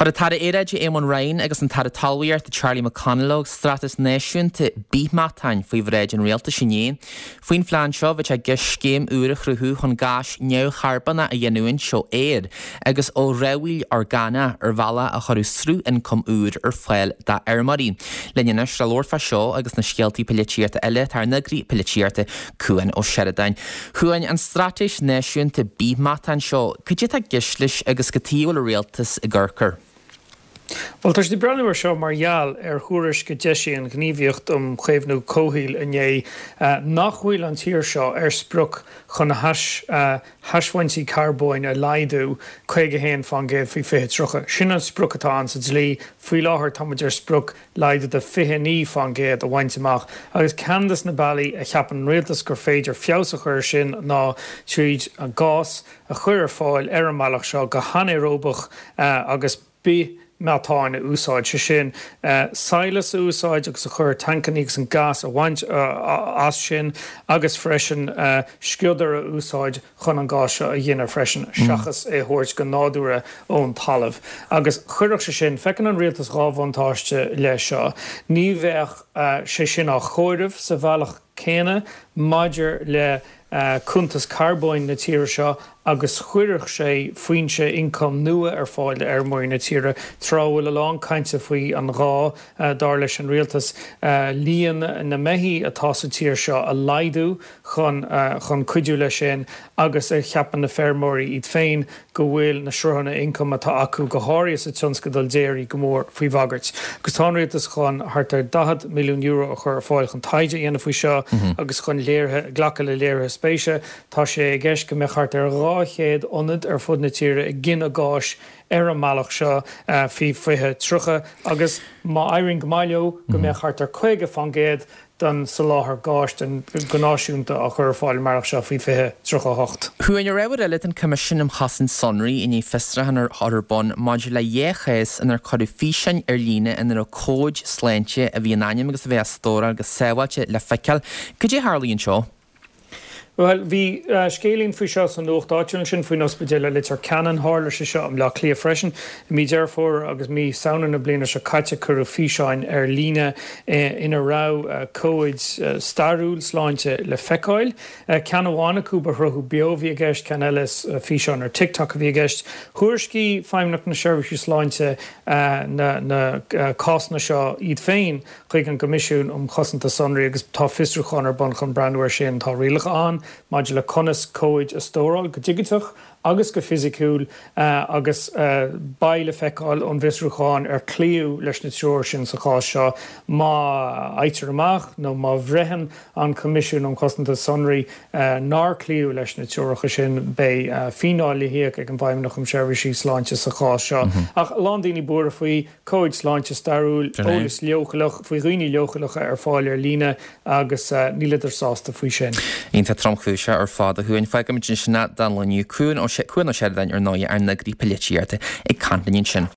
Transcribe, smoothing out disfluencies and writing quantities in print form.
Chuir an tAire Aeráide Eamon Ryan agus an tAire Talmhaíochta Charlie McConalogue Straitéis Náisiúnta Bithmheatáin faoi bhráid an Rialtais inné. Faoin phlean seo, bheadh sé i gceist scéim úr a chruthú chun gás neamhcharbónach a ghiniúint ó fhéar agus ó dhramhaíl orgánach ar bhealach a chuirfeadh sruth ioncaim úr ar fáil d'fheirmeoirí. Linn anois le labhairt fá seo agus na scéaltaí poilitíochta eile tá ár n-eagraí poilitíochta, Cuan Ó Seireadáin. Chuain, an Straitéis Náisiúnta Bithmheatáin seo, cad é atá i gceist leis agus cad chuige a bhfuil an Rialtas ag amharc air? Bhuel, tá siad ag breathnú air seo mar gheall ar thuairisc a d'eisigh an Ghníomhaíocht um Chaomhnú Comhshaoil inné nach bhfuil an tír seo ar sprioc chun a hasbhaintí carbóin a laghdú 51 fán gcéad faoi 2030. Sin an sprioc atá ann sa dlí. Faoi láthair tá muid ar sprioc laghdú de 29 fán gcéad a bhaint amach agus ceann des na bealaí a cheapann an rialtas gur féidir feabhas a chur air sin ná tríd an gás a chur ar fáil ar an mbealach seo go hanaeróbach agus bithmheatán a úsáid, sé sin, sadhlas a úsáid agus a chur i tancannaí agus an gás a bhaint as sin agus freisin sciodar a úsáid chun an gás seo a ghineadh freisin, seachas é a thabhairt go nádúrtha ón talamh. Agus chuirfeadh sé sin, feiceann an rialtas 2 bhuntáiste leis seo, ní bheadh sé sin á chomhaireamh sa bhealach céanna maidir le cuntas carbóin na tíre seo agus chuirfeadh sé foinse ioncaim nua ar fáil d'fheirmeoirí na tíre, tráth a bhfuil a lán cainte faoi an ghá, dar leis an rialtas, líon na mbeithí atá sa tír seo a laghdú. chun chun cuidiú leis sin agus a cheapann na feirmeoirí iad féin go bhfuil na sruthanna ioncaim atá acu, go háirithe sa tionscadal déirí, go mór faoi bhagairt. Agus tá an rialtas chun thart ar €40 milliún a chur ar fáil chun taighde a dhéanamh faoi seo agus chun léirithe, glacadh le léirithe spéise. Tá sé i gceist go mbeadh thart ar 200 ionad ar fud na tíre ag gineadh gáis ar an mbealach seo faoi 2030 agus má éiríonn go maith leo go mbeadh thart ar 50% den soláthar gáis go náisiúnta á chur ar fáil an mbealach seo faoi 2038. Chuain, ar ábhar eile, tá an Coimisiún um Chosaint Sonraí i ndiaidh fiosrúchán a chur ar bun maidir le dhá chás inar cuireadh físeáin ar líne ina raibh comhaid sláinte a bhí in ainm agus a bheith á stóráil go sábháilte le feiceáil. Cad é a tharlaigh anseo? Bhuel, bhí scéilín faoi seo sa nuacht áitiúil ansin, faoin ospidéal i Leitir Ceanainn. Tharla sé seo i mBleá Cliath freisin. I mí Deireadh Fómhair agus mí Samhna na bliana seo caite cuireadh físeáin ar líne ina raibh comhaid stairiúil sláinte le feiceáil. Ceann amháin acu ba shruthú beo a bhí i gceist, ceann eile is físeán ar TikTok a bhí i gceist. Thuairiscigh Feidhmeannacht na Seirbhísí Sláinte na cásanna seo iad féin. chuig an gCoimisiún um Chosanta Sonraí agus tá fiosrúchán ar bun chun breathnú air sin. Tá rialacha ann maidir le conas comhaid a stóráil go digiteach agus go fisiciúil agus beidh le feiceáil ón bhfiosrúchán ar cloíodh leis na treoir sin sa chás seo. Má fhaightear amach nó má bhraitheann an Coimisiún um Chosanta Sonraí nár cloíodh leis na treoracha sin, beidh fíneáil le híoc ag an bhFeidhmeannacht um Sheirbhísí Sláinte sa chás seo. Ach a lán daoine buartha faoi. Comhaid sláinte stairiúil, eolas leochaileach faoi dhaoine leochaileacha ar fáil ar líne agus níleadar sásta faoi sin. Iontach tromchúiseach ar fad a Chuain. Fágfaimid ansin é don lá inniu. Cuan Ó Seireadáin ar ndóigh, ár n-eagraí polaitíochta ag caint linn ansin.